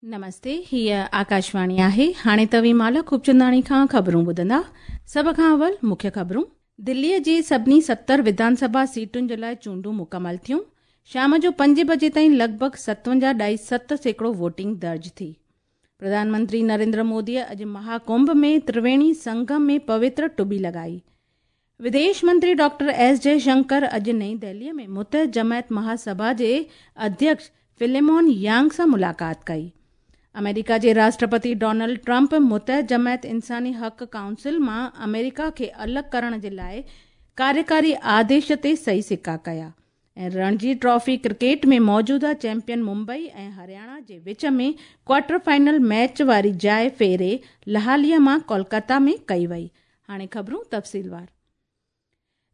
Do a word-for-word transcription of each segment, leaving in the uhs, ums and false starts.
نمستي، هيء آڪاشواڻي آهي. هاڻي توهين مالا خوبچنداڻي کان خبرون ٻڌندا. سڀ کان اول مکيه خبرون. دليء جي سڀني ستر وڌان سڀا سيٽن جي لاء چونڊون مڪمل ٿيون. شام جو پنج بجي تائين لڳ ڀڳ ستونجاهه ڏائي ست سيڪڙو ووٽنگ درج ٿي. پرڌان منتري نريندر موديء اڄ مهاڪنڀ ۾ ترويڻي سنگم ۾ پوتر ٽٻي لڳائي. وديش منتري ڊاڪٽر ايس جئشنڪر اڄ نئين دهليء ۾ متحد جماعت مهاسڀا جي اڌيڪش فليمون يانگ سان ملاقات ڪئي. آمريڪا جي راشٽرپتي ڊونلڊ ٽرمپ متحد جماعت انساني حق ڪائونسل مان آمريڪا کي الڳ ڪرڻ جي لاء ڪاريڪاري آديش تي صحيح سڪا ڪيا. ۽ رڻجي ٽرافي ڪرڪيٽ ۾ موجوده چيمپيئن ممبئي ۽ هرياڻا جي وچ ۾ ڪوارٽر فائنل ميچ واري جاءِ ڦيري لاهاليء مان ڪولڪتا ۾ ڪئي وئي. هاڻي خبرون تفصيلوار.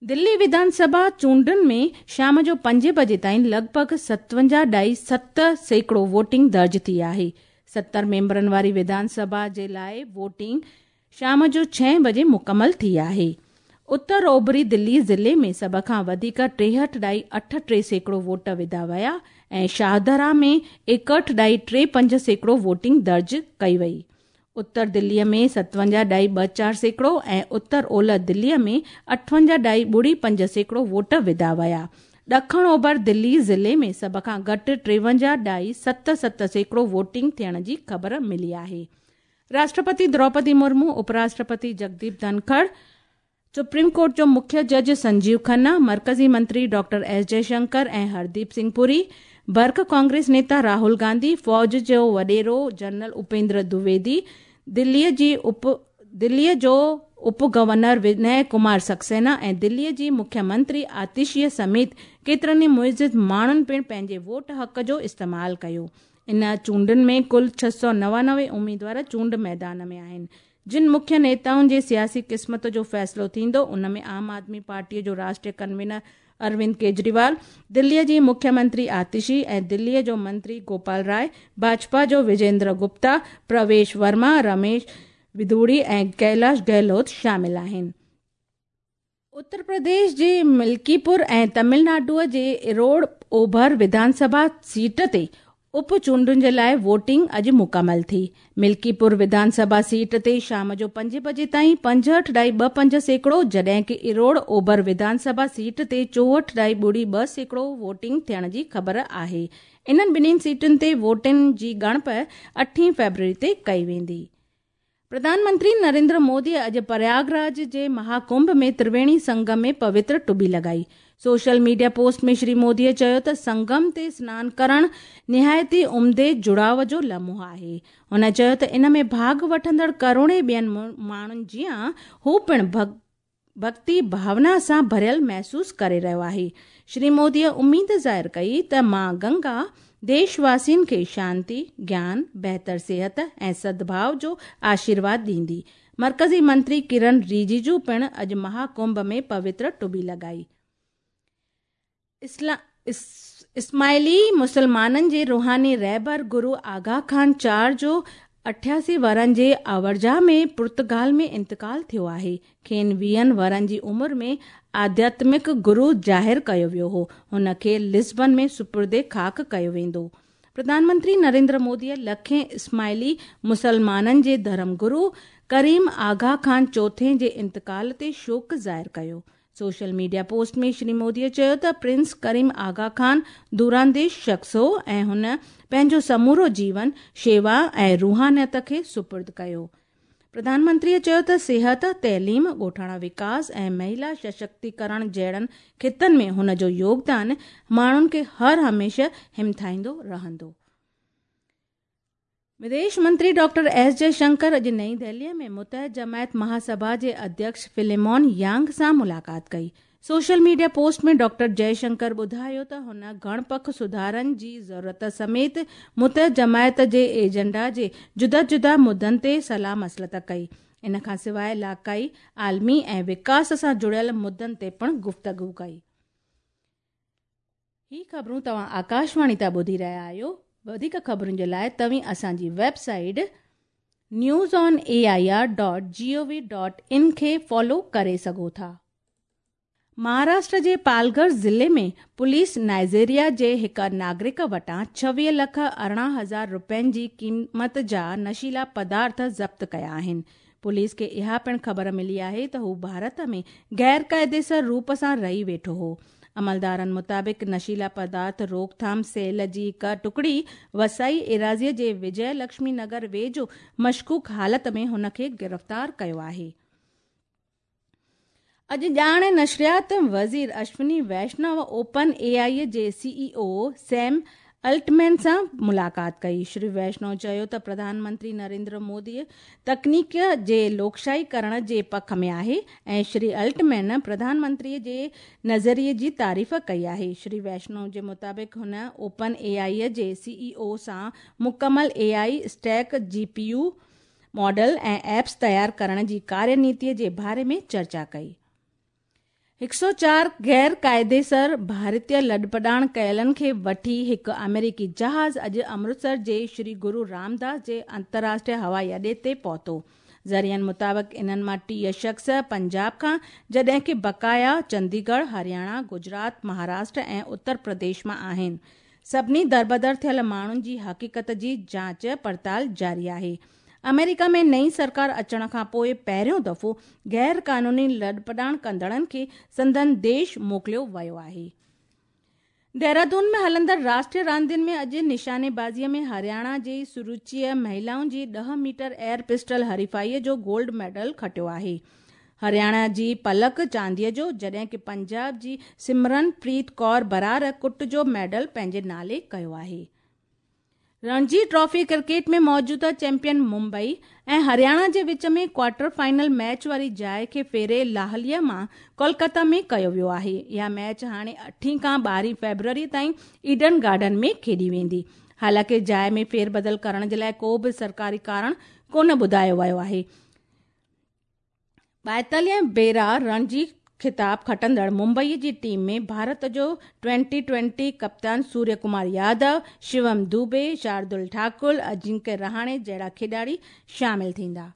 دلي وڌان سڀا چونڊن ۾ شام جو پنج بجي تائين لڳ ڀڳ ستونجاهه ڏائي ست سيڪڙو ووٽنگ درج ٿي آهي. ستر ميمبرن واري وڌان سڀا جي لاءِ ووٽنگ شام جو ڇهه بجي مڪمل ٿي آهي. اتر اوڀري دلي ضلعي ۾ سڀ کان وڌيڪ ٽيهٺ ڏائي اٺ ٽي سيڪڙو ووٽ وڌا ويا ۽ شاهدرا ۾ ايڪهٺ ڏائي ٽي پنج سيڪڙو ووٽنگ درج ڪئي وئي. اتر دليء ۾ ستونجاهه ڏائي ٻه چار سيڪڙو ۽ اتر اولهه دليء ۾ اٺونجاهه ڏائي ٻڙي پنج سيڪڙو ووٽ وڌا ويا. ڏکڻ اوڀر دلي ضلعي ۾ سڀ کان گهٽ ٽيونجاهه ڏائي ست ست سيڪڙو ووٽنگ ٿيڻ جي خبر ملي آهي. راشٽرپتي دروپدي مرمو، اپراشٽرپتي جگديپ ڌنکڙ، سپريم ڪورٽ جو مکيه جج سنجيو کنا، مرڪزي منتري ڊاڪٽر ايس جئشنڪر ۽ هرديپ سنگهه پوري، برک ڪانگريس نيتا راهول گانڌي، فوج جو وڏيرو جنرل اپيندر دويدي، دليء جي اپ دليء جو اپ گورنر وني ڪمار سڪسينا ۽ دليء جي مکيه منتري آتشيء سميت ڪيترن ئي معزز ماڻهن پڻ پنهنجي ووٽ حق جو استعمال ڪيو. ان چونڊن ۾ ڪل ڇهه سؤ نوانوي اميدوار چونڊ ميدان ۾ آهن. جن مکيه نيتائن جي سياسي قسمت جو فيصلو ٿيندو ان ۾ عام آدمي پارٽيء جو راشٽريه ڪنوينر اروند ڪيجريوال، دليء جي مکيه منتري آتشي ۽ دليء جو منتري گوپال راءِ، ڀاجپا جو وجيندر گپتا، پرويش ورما، رميش وڌوڙي ۽ ڪيلاش گهلوت شامل آهن. اتر پرديش جي ملڪيپور ۽ تامل ناڊوء جي ايروڊ اوڀر وڌان سڀا سيٽ تي اپ چونڊن جي لاءِ ووٽنگ اڄ مڪمل ٿي. ملڪيپور وڌان سڀا سيٽ تي شام جو پنج بجي تائين پنجهٺ ڏائي ٻه پنج سيڪڙو جڏهن ڪه ايروڊ اوڀر وڌان سڀا سيٽ تي چوهٺ ڏائي ٻڙي ٻه سيڪڙو ووٽنگ ٿيڻ جي خبر آهي. انهن ٻنهي سيٽن تي ووٽن جي ڳڻپ اٺين فيبروري تي ڪئي ويندي. پرڌان منتري نريندر مودي اڄ پرياگراج جي مهاڪنڀ ۾ ترويڻي سنگم ۾ پوتر ٽٻي لڳائي. سوشل ميڊيا پوسٽ ۾ شري موديء چيو ته سنگم تي سنان ڪرڻ نهايت ئي عمدي جڙاءُ جو لمحو آهي. هن چيو ته ان ۾ ڀاڳ وٺندڙ ڪروڙين ٻين ماڻهن جيان هو پڻ ڀڳتي ڀاونا سان ڀريل محسوس ڪري رهيو آهي. شري موديء اميد ظاهر ڪئي ته مان گنگا ديشواسين کي شانتي، گيان، بهتر صحت ۽ سدڀاءُ جو آشيرواد ڏيندي. مرڪزي منتري ڪرن رجيجو پڻ اڄ مهاڪنڀ ۾ پوتر ٽٻي لڳائي. اسماعيلي مسلمانن جي روحاني رهبر گرو آغا خان چار جو اٺياسي ورهن جي آورجا ۾ پرتگال ۾ انتقال ٿيو آهي. کين ويهن ورهن جي عمر ۾ آڌياتمڪ گرو ظاهر ڪيو ويو هو. هن کي لسبن ۾ سپرد خاڪ ڪيو ويندو. پرڌان منتري نريندر موديء لکين اسماعيلي مسلمانن جي ڌرم گرو ڪريم آغا خان چوٿين جي انتقال تي شوڪ ظاهر ڪيو. سوشل ميڊيا پوسٽ ۾ شري موديء چيو ته پرنس ڪريم آغا خان دورانديش شخص هو ۽ هن پنهنجو سمورو جيون شيوا ۽ روحانيت کي سپرد ڪيو. پرڌان منتريء چيو ته صحت، تعليم، ڳوٺاڻا وڪاس ۽ مهلا سشڪتيڪرڻ جهڙن خطن ۾ هن جو يوگدان ماڻهن کي هر هميشه همٿائيندو رهندو. وديش منتري ڊاڪٽر ايس جئشنڪر اڄ نئين دهليء ۾ متحد جماعت مهاسڀا جي اڌيڪش فليمون يانگ سان ملاقات ڪئي. سوشل ميڊيا پوسٽ ۾ ڊاڪٽر جئشنڪر ٻڌايو ته هن گهڻ پک سڌارن جي ضرورت سميت متحد جماعت جي ايجنڊا جي جدا جدا مدن تي صلاح مصلحت ڪئي. ان کان سواءِ علائقائي، عالمي ۽ وڪاس سان جڙيل مدن تي پڻ گفتگو ڪئي. هي خبرون توهان آڪاشواڻي تان ٻڌي رهيا آهيو. وڌيڪ خبرن جي لاءِ توهين اسان جي website news on A I R dot G O V dot in کي فالو ڪري سگهو ٿا. مهاراشٽر جي پالگهر ضلعي ۾ پوليس نائيجيريا جي هڪ ناگرڪ وٽان ڇويهه لک ارڙهن هزار رپين جي قيمت جا نشيلا پدارٿ ضبط ڪيا آهن. پوليس کي اها پڻ خبر ملي آهي ته هو ڀارت ۾ غير قاعديسر روپ سان رهي ويٺو هو. عملدارن مطابق نشيلا پدارٿ روڪٿام سيل جي هڪ ٽڪڙي وسائي ايراضيء جي وجي لڪشمي نگر ويجهو مشڪوڪ حالت ۾ هن کي گرفتار ڪيو آهي. اڄ ڄاڻ نشريات وزير اشوني ويشنو اوپن اي آئي جي سي اي او سيم الٽمين سان ملاقات ڪئي. شري ويشنو چيو ته پرڌان منتري نريندر مودي تڪنيڪ جي لوڪشاهي ڪرڻ جي پک ۾ آهي ۽ شري الٽمين پرڌان منتري جي نظريي جي تعريف ڪئي آهي. شري ويشنو جي مطابق هن اوپن اي آئي جي سي اي او سان مڪمل A I stack, G P U model ۽ apps تيار ڪرڻ جي ڪاريه نيتي جي باري ۾ چرچا ڪئي. هڪ سؤ چار غير قاعديسر ڀارتيه لڏپلاڻ ڪيلن کي وٺي هڪ آمريڪي جهاز اڄ امرتسر جي شري گرو رامداس جي انترراشٽريه هوائي اڏي تي پهتو. ذريعن مطابق انهن مان ٽيهه شخص پنجاب کان جڏهن ڪه بقايا چنديڳڙهه، هرياڻا، گجرات، مهاراشٽر ۽ اتر پرديش مان آهن. سڀني دربدر ٿيل ماڻهن جي حقيقت جي جاچ پڙتال جاري آهي. آمريڪا ۾ نئين سرڪار اچڻ کان پوءِ پهريون دفعو غير قانوني لڏپلاڻ ڪندڙن کي سندن ديش موڪليو ويو آهي. دهرادون ۾ هلندڙ راشٽريه راندين ۾ اڄ نشانيبازيءَ ۾ هرياڻا جي سروچيءَ مهلائن جي ڏهه ميٽر ايئر پسٽل حريفائيءَ جو گولڊ ميڊل کٽيو آهي. هرياڻا جي پلڪ چانديءَ جو جڏهن ڪه پنجاب جي سمرن پريت ڪور برار ڪٽ جو ميڊل پنهنجي نالي ڪيو آهي. رڻجي ٽرافي ڪرڪيٽ ۾ موجوده چيمپيئن ممبئي ۽ هرياڻا جي وچ ۾ ڪوارٽر فائنل ميچ واري جاءِ کي ڦيري لاهليءَ مان ڪولڪاتا ۾ ڪيو ويو آهي. اها ميچ هاڻي اٺين کان ٻارهين فيبروري تائين ايڊن گارڊن ۾ کيڏي ويندي. حالانڪه جاءِ ۾ ڦير بدل ڪرڻ جي لاءِ ڪو به سرڪاري ڪارڻ ڪونه ٻڌايو ويو آهي. ٻائيتاليهه ڀيرا رڻجي خطاب کٽندڙ ممبئي جي ٽيم ۾ ڀارت جو ٽوئنٽي ٽوئنٽي ڪپتان سوريه ڪمار يادو، شوم دوبي، شاردل ٺاڪر، اجنڪيه رهاڻي جهڙا کيڏاڙي شامل ٿيندا.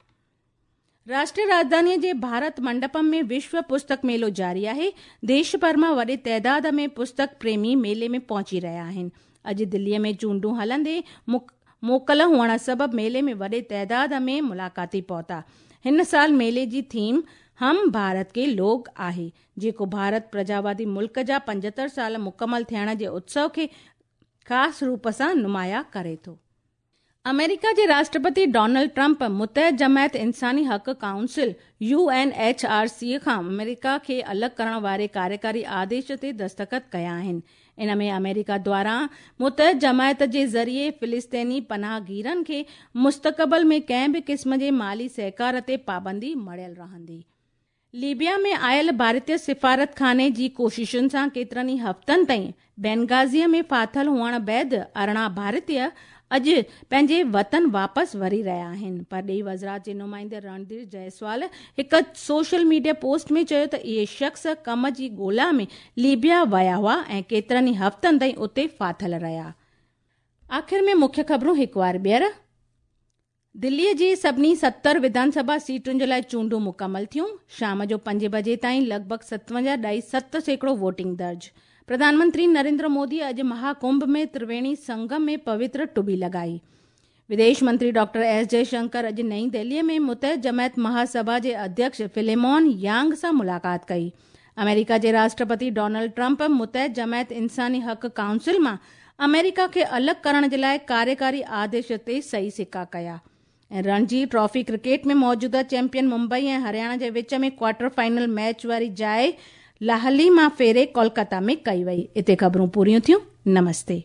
راشٽريه راڄڌانيءَ جي ڀارت منڊپم ۾ وشو پستڪ ميلو جاري آهي. ديش ڀر مان وڏي تعداد ۾ پستڪ پريمي ميلي ۾ پهچي رهيا آهن. اڄ دليءَ ۾ چونڊون هلندي موڪل هئڻ سبب ميلي ۾ وڏي تعداد ۾ ملاقاتي پهتا. هن سال ميلي جي ٿيم هم ڀارت ڪي لوگ آهي، جيڪو ڀارت پرجاوادي ملڪ جا پنجهتر سال مڪمل ٿيڻ جي اتسو کي خاص روپ سان نمايان ڪري ٿو. آمريڪا جي راشٽرپتي ڊونلڊ ٽرمپ متحد جماعت انساني حق council U N H R C کان آمريڪا کي الڳ ڪرڻ واري ڪاريڪاري آديش تي دستخط ڪيا آهن. ان ۾ آمريڪا دواران متحد جماعت جي ذريعي فلسطيني پناهگيرن کي مستقبل ۾ ڪنهن به قسم جي مالي سهڪار تي پابندي مڙهيل رهندي. ليبيا ۾ آيل ڀارتيه سفارت خاني جي ڪوششن سان ڪيترن ئي هفتن تائين بينغازيءَ ۾ ڦاٿل هئڻ بعد ارڙهن ڀارتيه اڄ پنهنجي وطن واپس وري رهيا آهن. پرڏيهي وزارت جي نمائندي رڻڌير جئسوال هڪ سوشل ميڊيا پوسٽ ۾ چيو ته اهي شخص ڪم جي ڳولا ۾ ليبيا ويا هئا ۽ ڪيترن ئي هفتن تائين اتي ڦاٿل رهيا. آخر ۾ مکيه خبرون هڪ وار ٻيهر. دليءَ جي سڀني ستر وڌانسڀا سيٽن جي لاءِ چونڊون مڪمل ٿيون. شام جو پنج بجي تائين لڳ ڀڳ ستونجاهه ڏهائي ست سيڪڙو ووٽنگ درج. پرڌان منتري نريندر مودي اڄ مهاڪنڀ ۾ ترويڻي سنگم ۾ پوتر ٽٻي لڳائي. وديش منتري ڊاڪٽر ايس جئشنڪر اڄ نئين دهليءَ ۾ متحد جماعت مهاسڀا جي اڌيڪش فليمون يانگ سان ملاقات ڪئي. آمريڪا جي راشٽرپتي ڊونلڊ ٽرمپ متحد جماعت انساني حق ڪائونسل مان آمريڪا کي الڳ ڪرڻ جي لاءِ ڪاريڪاري آديش تي صحيح سڪا ڪيا. ۽ رڻجي ٽرافي ڪرڪيٽ ۾ موجوده چيمپيئن ممبئي ۽ هرياڻا جي وچ ۾ ڪوارٽر فائنل ميچ واري جاءِ لاهلي مان ڦيري ڪولڪاتا ۾ ڪئي وئي. هتي خبرون پوريون ٿيون. نمستي.